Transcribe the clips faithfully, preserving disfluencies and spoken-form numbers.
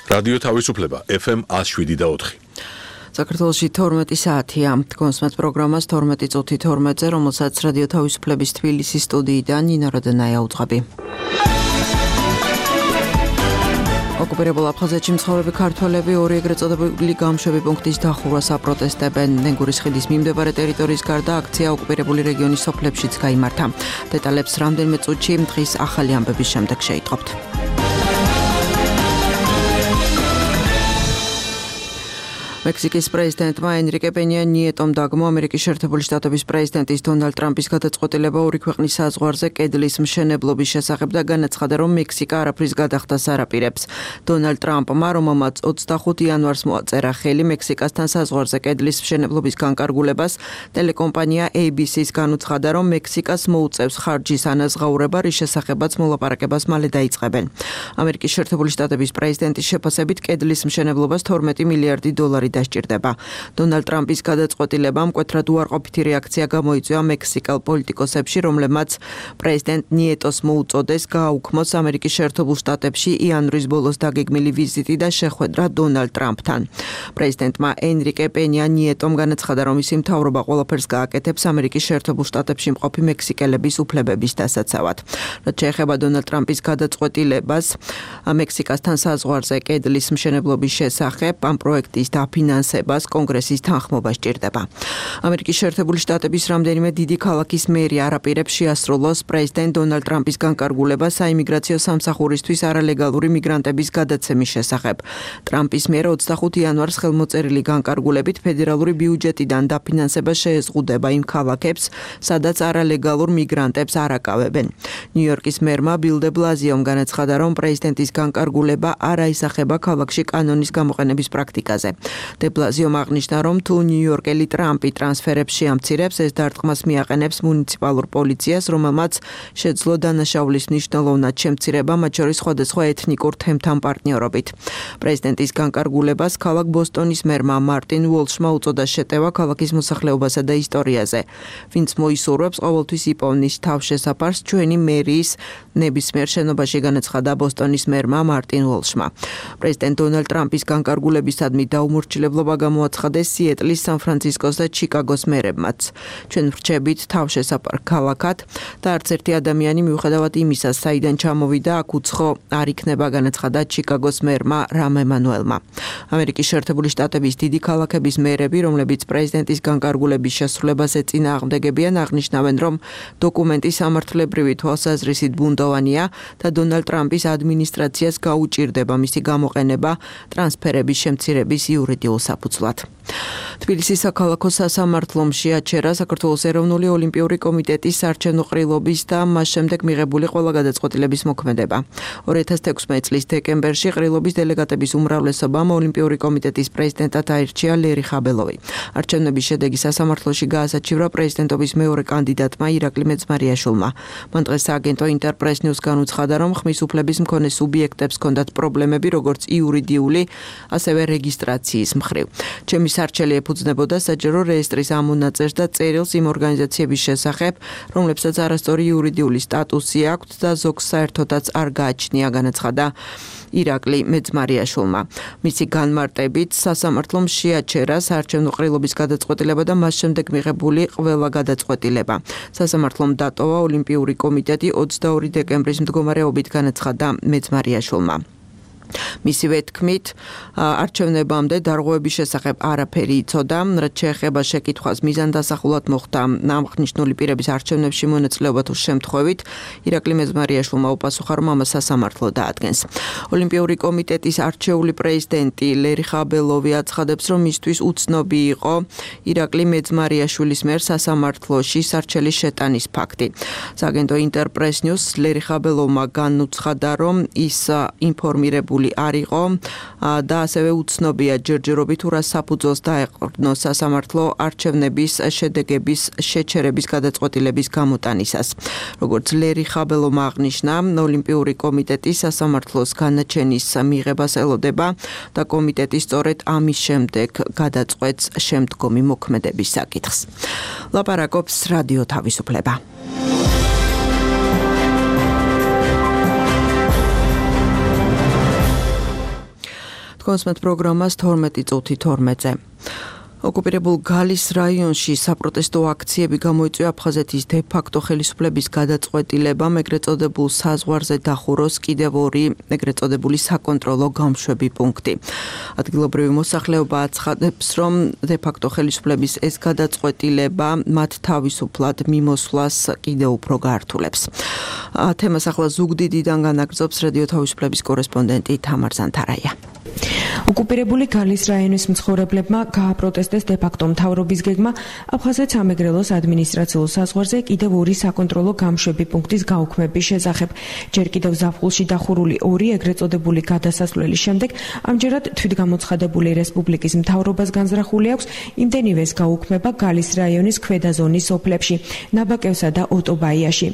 რადიო თავისუფლება ეფ ემ one oh seven და four. საქართველოში თორმეტი საათია. კონსმეთ პროგრამას თორმეტი წუთი თორმეტზე, რომელსაც რადიო თავისუფლების თბილისის სტუდიიდან ნინა როდენაია უძღვები. ოკუპირებულ აფხაზეთში მცხოვრები ქართველები ორი ეგრეთ წოდებული გამშვები პუნქტის დახურვას აპროტესტებენ. ნენგურის ხიდის მიმდებარე ტერიტორიის გარდა აქცია ოკუპირებული რეგიონის სოფლებშიც გაიმართა. დეტალებს რამდენიმე წუთში დღის ახალი ამბების შემდეგ შეიტყობთ. მექსიკის პრეზიდენტმა ენრიკე პენია ნიეტომ დაგმო ამერიკის შეერთებული შტატების პრეზიდენტის დონალდ ტრამპის გადაწყვეტილება ორი ქვეყნის საზღვარზე კედლის მშენებლობის შესახებ და განაცხადა, რომ მექსიკა არაფრის გადახდას არ აპირებს. დონალდ ტრამპმა, რომელმაც ოცდახუთი იანვარს მოაწერა ხელი მექსიკასთან საზღვარზე კედლის მშენებლობის განკარგულებას, ტელეკომპანია ეი ბი სი-ს განუცხადა, რომ მექსიკას მოუწევს ხარჯის ანაზღაურება, რის შესახებაც მოლაპარაკებას მალე დაიწყებენ. ამერიკის შეერთებული შტატების პრეზიდენტის შეფასებით კედლის მშენებლობას თორმეტი მილიარდი დოლარი დასჭირდება. დონალდ ტრამპის გადაწყვეტილებამ მკვეთრად უარყოფითი რეაქცია გამოიწვია მექსიკელ პოლიტიკოსებში, რომლებმაც პრეზიდენტ ნიეტოს მოუწოდეს გააუქმოს ამერიკის შეერთებულ შტატებში იანვრის ბოლოს დაგეგმილი ვიზიტი და შეხვედრა დონალდ ტრამპთან. პრეზიდენტმა ენრიკე პენია ნიეტომ განაცხადა, რომ მისი მთავრობა ყველაფერს გააკეთებს ამერიკის შეერთებულ შტატებში მყოფი მექსიკელების უფლებების დასაცავად. რაც შეეხება დონალდ ტრამპის გადაწყვეტილებას მექსიკასთან საზღვარზე კედლის მშენებლობის შესახებ, ამ პროექტის ფინანსებას კონგრესის თანხმობა სჭირდება. ამერიკის შეერთებული შტატების რამდენიმე დიდი ქალაქის მერი არ აპირებს შეასრულოს პრეზიდენტ დონალდ ტრამპის განკარგულებას საიმიგრაციო სამსახურისთვის არალეგალური მიგრანტების გადაცემის შესახებ. ტრამპის მიერ ოცდახუთი იანვარს ხელმოწერილი განკარგულებით ფედერალური ბიუჯეტიდან დაფინანსება შეეზღუდება იმ ქალაქებს, სადაც არალეგალურ მიგრანტებს არ აკავებენ. ნიუ-იორკის მერმა ბილ დე ბლაზიომ განაცხადა, რომ პრეზიდენტის განკარგულება არ აისახება ქალაქში კანონის გამოყენების პრაქტიკაზე. დე ბლაზიომ აღნიშნა, რომ თუ ნიუ-იორკელი ტრამპი ტრანსფერებს შეამცირებს, ეს დარტყმას მიაყენებს მუნიციპალურ პოლიციას, რომელმაც შეძლო დანაშაულის მნიშვნელოვნად შემცირება, მათ შორის სხვადასხვა ეთნიკურ თემთან პარტნიორობით. პრეზიდენტის განკარგულებას ქალაქ ბოსტონის მერმა მარტინ უოლშმა უწოდა შეტევა ქალაქის მოსახლეობასა და ისტორიაზე. ვინც მოისურვებს, ყოველთვის იპოვნის თავშესაფარს ჩვენი მერიის ნებისმიერ შენობაში, განაცხადა ბოსტონის მერმა მარტინ უოლშმა. პრეზიდენტ დონალდ ტრამპის განკარგულებისადმი დაუმორჩილებლობა გამოაცხადეს სიეტლის, სან-ფრანცისკოს და ჩიკაგოს მერებმაც. ჩვენ ვრჩებით თავშესაფარ ქალაქად და არც ერთი ადამიანი მიუხედავად იმისა, საიდან ჩამოვიდა, აქ უცხო არ იქნება, განაცხადა ჩიკაგოს მერმა რამ ემანუელმა. ამერიკის შეერთებული შტატების დიდი ქალაქების მერები, რომლებიც პრეზიდენტის განკარგულების შესრულებას ეწინააღმდეგებიან, აღნიშნავენ, რომ დოკუმენტი სამართლებრივი თვალსაზრისით ბუნდოვანია და დონალდ ტრამპის ადმინისტრაციას გაუჭირდება მისი გამოყენება ტრანსფერების შემცირების იურიდიულ საფუძვლად. თბილისის საქალაქო სასამართლომ შეაჩერა საქართველოს ეროვნული ოლიმპიური კომიტეტის საარჩევნო ყრილობის და მას შემდეგ მიღებული ყველა გადაწყვეტილების მოქმედება. ორი ათას თექვსმეტი წლის დეკემბერში ყრილობის დელეგატების უმრავლესობამ ოლიმპიური კომიტეტის პრეზიდენტად აირჩია ლერი ხაბელოვი. არჩევნების შედეგი სასამართლოში გაასაჩივრა პრეზიდენტობის მეორე კანდიდატმა ირაკლი მეძმარიაშვილმა. მან დღეს სააგენტო ინტერპრეს ნიუს განუცხადა, რომ ხმის უფლების მქონე სუბიექტებს ჰქონდათ პრობლემები, როგორც იურიდიული, ასევე რეგისტრაციის მხრივ. ჩემი სარჩელი ეფუძნებოდა საჯარო რეესტრის ამონაწერს და წერილს იმ ორგანიზაციების შესახებ, რომლებსაც არასწორი იურიდიული სტატუსი აქვთ და ზოგს საერთოდაც არ გააჩნია, განაცხადა ირაკლი მეძმარიაშვილმა. მისი განმარტებით სასამართლომ შეაჩერა საარჩევნო ყრილობის გადაწყვეტილება და მას შემდეგ მიღებული ყველა გადაწყვეტილება. სასამართლომ დატოვა ოლიმპიური კომიტეტი ოცდაორი დეკემბრის მდგომარეობით, განაცხადა მეძმარიაშვილმა. მისივე თქმით, არჩევნებამდე დარღვევების შესახებ არაფერი იცოდა, რაც შეეხება შეკითხვას მიზანდასახულად მოხდა აღნიშნული პირების არჩევნებში მონაწილეობა თუ შემთხვევით, ირაკლი მეძმარიაშვილმა უპასუხა, რომ ამას სასამართლო დაადგენს. ოლიმპიური კომიტეტის არჩეული პრეზიდენტი ლერი ხაბელოვი აცხადებს, რომ მისთვის უცნობი იყო ირაკლი მეძმარიაშვილის მიერ სასამართლოში სარჩელის შეტანის ფაქტი. სააგენტო ინტერპრეს ნიუს ლერი ხაბელოვმა განუცხადა, რომ ის ინფორმირებული არ იყო და ასევე უცნობია ჯერჯერობით თუ რა საფუძველს დაეყრდნო სასამართლო არჩევნების შედეგების შეჩერების გადაწყვეტილების გამოტანისას. როგორც ლერი ხაბელოვმა აღნიშნა, ოლიმპიური კომიტეტი სასამართლოს განაჩენის მიღებას ელოდება და კომიტეტი სწორედ ამის შემდეგ გადაწყვეტს შემდგომი მოქმედების საკითხს. ლაპარაკობს რადიო თავისუფლება. Konsument პროგრამას თორმეტი წუთი თორმეტზე. ოკუპირებულ გალის რაიონში საპროტესტო აქციები გამოიწვია აფხაზეთის დე-ფაქტო ხელისუფლების გადაწყვეტილებამ ეგრეთ წოდებულ საზღვარზე დახუროს კიდევ ორი ეგრეთ წოდებული საკონტროლო გამშვები პუნქტი. ადგილობრივი მოსახლეობა აცხადებს, რომ დე-ფაქტო ხელისუფლების ეს გადაწყვეტილება მათ თავისუფლად მიმოსვლას კიდევ უფრო გაართულებს. თემას ახლა ზუგდიდიდან განაგრძობს რადიო თავისუფლების კორესპონდენტი თამარ ზანთარაია. ოკუპირებული გალის რაიონის მცხოვრებლებმა გააპროტესტეს დე-ფაქტო მთავრობის გეგმა აფხაზეთ სამეგრელოს ადმინისტრაციულ საზღვარზე კიდევ ორი საკონტროლო გამშვები პუნქტის გაუქმების შესახებ. ჯერ კიდევ ზაფხულში დახურული ორი ეგრეთ წოდებული გადასასვლელის შემდეგ ამჯერად თვითგამოცხადებული რესპუბლიკის მთავრობას განზრახული აქვს იმდენივეს გაუქმება გალის რაიონის ქვედა ზონის სოფლებში, ნაბაკევსა და ოტობაიაში.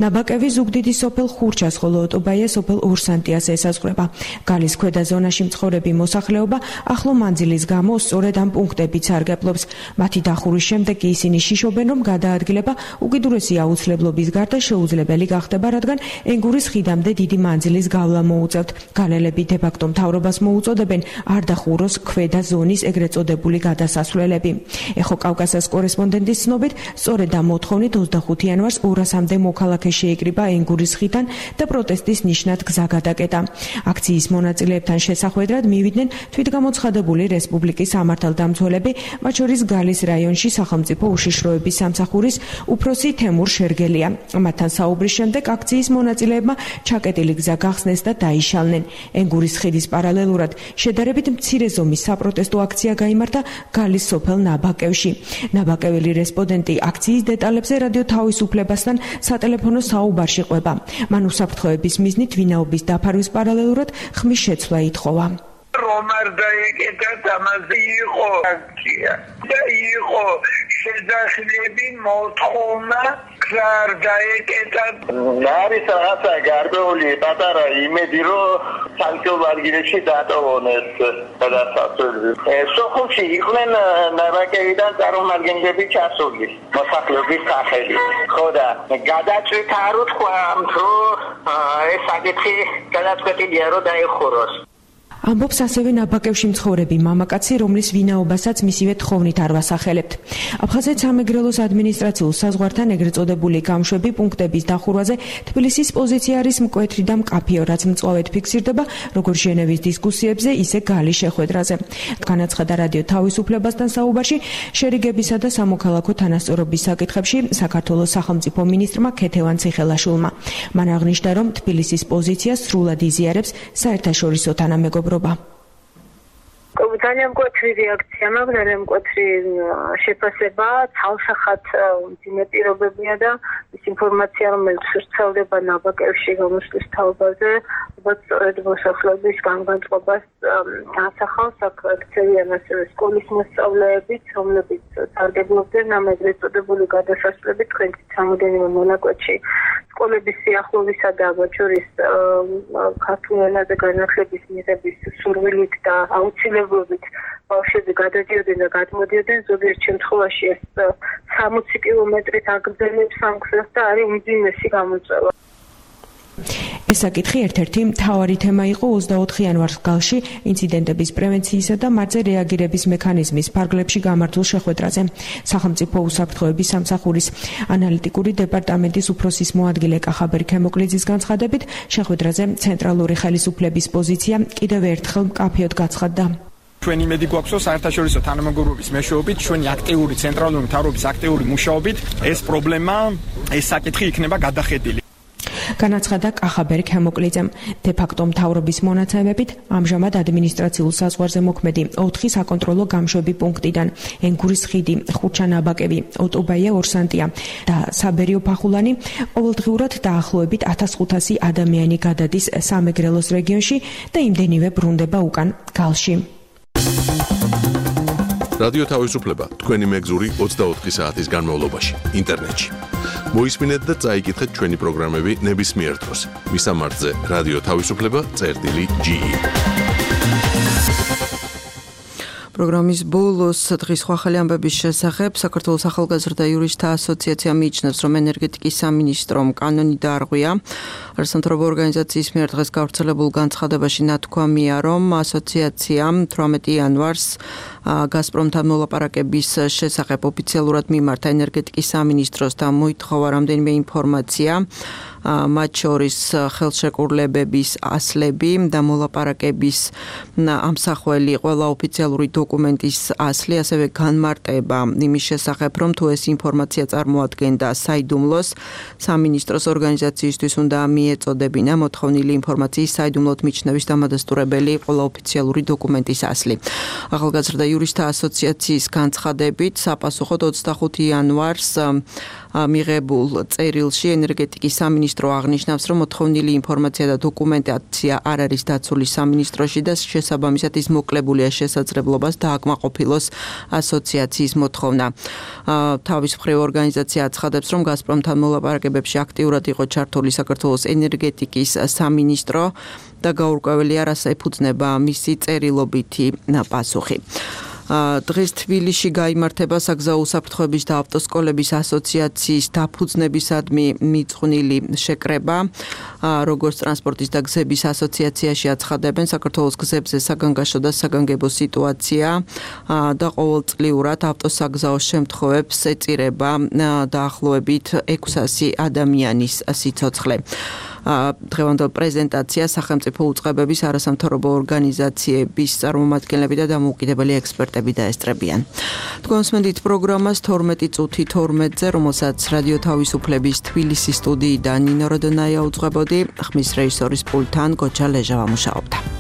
ნაბაკევი ზუგდიდის სოფელ ხურჩას, ხოლო ოტობაია სოფელ ორსანტიას ესაზღვრება. გალის ქვედა ზონაში მცხოვრები მოსახლეობა ახლო მანძილის გამო სწორედ ამ პუნქტებით სარგებლობს. მათი დახურის შემდეგ ისინი შიშობენ, რომ გადაადგილება უკიდურესი აუცილებლობის გარდა შეუძლებელი გახდება, რადგან ენგურის ხიდამდე დიდი მანძილის გავლა მოუწევთ. გალელები დე-ფაქტო მთავრობას მოუწოდებენ არ დახუროს ქვედა ზონის ეგრეთ წოდებული გადასასვლელები. ეხო კავკასიის კორესპონდენტის ცნობით, სწორედ ამ მოთხოვნით ოცდახუთი იანვარს ორასამდე მოქალაქე შეიკრიბა ენგურის ხიდან და პროტესტის ნიშნად გზა გადაკეტა. აქციის მონაწილეებთან შესახვედრად მივიდნენ თვითგამოცხადებული რესპუბლიკის სამართალდამცველები, მათ შორის გალის რაიონში სახელმწიფო უშიშროების სამსახურის უფროსი თემურ შერგელია. მათთან საუბრის შემდეგ აქციის მონაწილეებმა ჩაკეტილი გზა გახსნეს და დაიშალნენ. ენგურის ხიდის პარალელურად შედარებით მცირე ზომის საპროტესტო აქცია გაიმართა გალის სოფელ ნაბაკევში. ნაბაკეველი რესპონდენტი აქციის დეტალებზე რადიო თავისუფლებასთან სატელეფონო საუბარში ყვება. მან უსაფრთხოების მიზნით ვინაობის დაფარვის პარალელურად ხმის შეცვლა ითხოვა. რომ არ დაეკეტათ ამაზე იყო აქცია და იყო შეძახილები მოთხოვნა არ დაეკეტათ. არის რაღაცა გარკვეული პატარა იმედი, რომ სანქციურ ადგილებში დატოვონეს გადასასვლელი. სოფელში იყვნენ ნაბაკევიდან წარმომადგენლები ჩასული მოსახლეობის სახელით. ხო და გადაწყვეტა არ უთქვა, რომ ეს საკითხი გადაწყვეტილია, რომ დაიხუროს. ამბობს ასევე ნაბაკევში მცხოვრები მამაკაცი, რომლის ვინაობასაც მისივე თხოვნით არ ვასახელებთ. აფხაზეთ სამეგრელოს ადმინისტრაციულ საზღვართან ეგრეთ წოდებული გამშვები პუნქტების დახურვაზე თბილისის პოზიცია არის მკვეთრი და მკაფიო, რაც მწვავედ ფიქსირდება როგორც ჟენევის დისკუსიებზე, ისე გალის შეხვედრაზე. განაცხადა რადიო თავისუფლებასთან საუბარში შერიგებისა და სამოქალაქო თანასწორობის საკითხებში საქართველოს სახელმწიფო მინისტრმა ქეთევან ციხელაშვილმა. მან აღნიშნა, რომ თბილისის პოზიცია სრულად იზიარებს საერთაშორისო თანამეგობრობას. ძალიან მკვეთრი რეაქცია მაქვს, ძალიან მკვეთრი შეფასება, ცალსახად მძიმე პირობებია და ის ინფორმაცია, რომელიც ვრცელდება ნაბაკევში გამოსვლის თაობაზე, ალბათ სწორედ მოსახლეობის განმარტყობას ასახავს. აქ ქცევიან ასევე სკოლის მოსწავლეებიც, რომლებიც სარგებლობდნენ ამ ეგრეთ წოდებული გადასასვლელებით თქვენით რამოდენიმე მონაკვეთში. სკოლების სიახლოვისა და მათ შორის ქართულ ენაზე განათლების მიღების სურვილით და აუცილებლობით ბავშვები გადადიოდნენ და გადმოდიოდნენ. ზოგიერთ შემთხვევაში ეს სამოცი კილომეტრით აგრძელებს ამ გზას და არის უმძიმესი გამოწვევა. ეს საკითხი ერთ-ერთი მთავარი თემა იყო ოცდაოთხი იანვარს გალში ინციდენტების პრევენციისა და მათზე რეაგირების მექანიზმის ფარგლებში გამართულ შეხვედრაზე. სახელმწიფო უსაფრთხოების სამსახურის ანალიტიკური დეპარტამენტის უფროსის მოადგილე კახაბერ ქემოკლიძის განცხადებით, შეხვედრაზე ცენტრალური ხელისუფლების პოზიცია კიდევ ერთხელ მკაფიოდ გაცხადდა. ჩვენ იმედი გვაქვს, რომ საერთაშორისო თანამეგობრობის მეშვეობით, ჩვენი აქტიური ცენტრალური მთავრობის აქტიური მუშაობით ეს პრობლემა, ეს საკითხი იქნება გადახედილი. განაცხადა კახაბერ ქემოკლიძემ. დე-ფაქტო მთავრობის მონაცემებით ამჟამად ადმინისტრაციულ საზღვარზე მოქმედი ოთხი საკონტროლო გამშვები პუნქტიდან ენგურის ხიდი, ხურჩა-ნაბაკევი, ოტობაია ორსანტია და საბერიო ფახულანი ყოველდღიურად დაახლოებით ათას ხუთასი ადამიანი გადადის სამეგრელოს რეგიონში და იმდენივე ბრუნდება უკან გალში. რადიო თავისუფლება თქვენი მეგზური ოცდაოთხი საათის განმავლობაში ინტერნეტში. მოისმინეთ და წაიკითხეთ ჩვენი პროგრამები ნებისმიერ დროს. მისამართზე რადიო თავისუფლება წერტილი ჯი. პროგრამის ბოლოს დღის ხვალ ამბების შესახებ საქართველოს ახალგაზრდა იურისტთა ასოციაცია მიიჩნევს, რომ ენერგეტიკის სამინისტრომ კანონი დაარღვია. არასამთავრობო ორგანიზაციის მიერ დღეს გავრცელებულ განცხადებაში ნათქვამია, რომ ასოციაციამ თვრამეტი იანვარს გაზპრომთან მოლაპარაკების შესახებ ოფიციალურად მიმართა ენერგეტიკის სამინისტროს და მოითხოვა რამდენიმე ინფორმაცია, მათ შორის ხელშეკრულებების ასლები და მოლაპარაკების ამსახველი ყველა ოფიციალური დოკუმენტის ასლი, ასევე განმარტება იმის შესახებ, რომ თუ ეს ინფორმაცია წარმოადგენდა საიდუმლოს, სამინისტროს ორგანიზაციისთვის უნდა მიეწოდებინა მოთხოვნილი ინფორმაციის საიდუმლოდ მიჩნევის დამადასტურებელი ყველა ოფიციალური დოკუმენტის ასლი. ახალგაზრდა იურისტთა ასოციაციის განცხადებით, საპასუხოდ ოცდახუთი იანვარს მიღებულ წერილში ენერგეტიკის სამინისტრო აღნიშნავს, რომ მოთხოვნილი ინფორმაცია და დოკუმენტაცია არ არის დაცული სამინისტროში და შესაბამისად ის მოკლებულია შესაძლებლობას დააკმაყოფილოს ასოციაციის მოთხოვნა. თავის მხრივ ორგანიზაცია აცხადებს, რომ გაზპრომთან მოლაპარაკებებში აქტიურად იყო ჩართული საქართველოს ენერგეტიკის სამინისტრო და გაურკვეველი არას ეფუძნება მისი წერილობითი პასუხი. დღეს თბილისში გაიმართება საგზაო უსაფრთხოების და ავტოსკოლების ასოციაციის დაფუძნებისადმი მიწყვნილი შეკრება. როგორც ტრანსპორტის და გზების ასოციაციაში აცხადებენ, საქართველოს გზებზე საგანგაშო და საგანგებო სიტუაცია და ყოველწლიურად ავტოსაგზაო შემთხვევებს ეწირება დაახლოებით ექვსასი ადამიანის სიცოცხლე. დღევანდელ პრეზენტაცია სახელმწიფო უწყებების არასამთავრობო ორგანიზაციების წარმომადგენლები და დამოუკიდებელი ექსპერტები დაესწრებიან. თქვენ მსმენთ პროგრამას თორმეტი წუთი თორმეტზე, რომელსაც რადიო თავისუფლების თბილისის სტუდიიდან ნინო როდონაია უძღვებოდი, ხმის რეჟისორის პულტთან გოჩა ლეჟავა მუშაობდა.